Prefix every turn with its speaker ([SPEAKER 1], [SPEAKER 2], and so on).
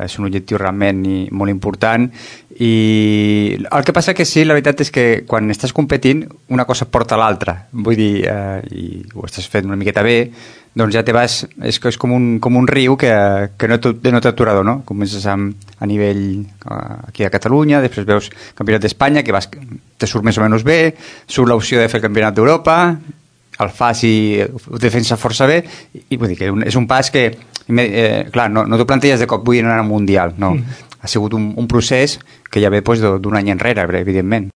[SPEAKER 1] és un objectiu realment molt important, i el que passa que sí, la veritat és que quan estàs competint una cosa porta a l'altra, vull dir, i ho estàs fent una miqueta bé, doncs ja te vas, és com un riu que no té aturador, no? Comences a nivell aquí a Catalunya, després veus campionat d'Espanya, que te surt més o menys bé, surt l'opció de fer el campionat d'Europa, el fas i ho defensa força bé, i vull dir que és un pas que clar, no t'ho planteges de cop vull anar al Mundial, no. Ha sigut un procés que ja ve d'un any enrere, evidentment.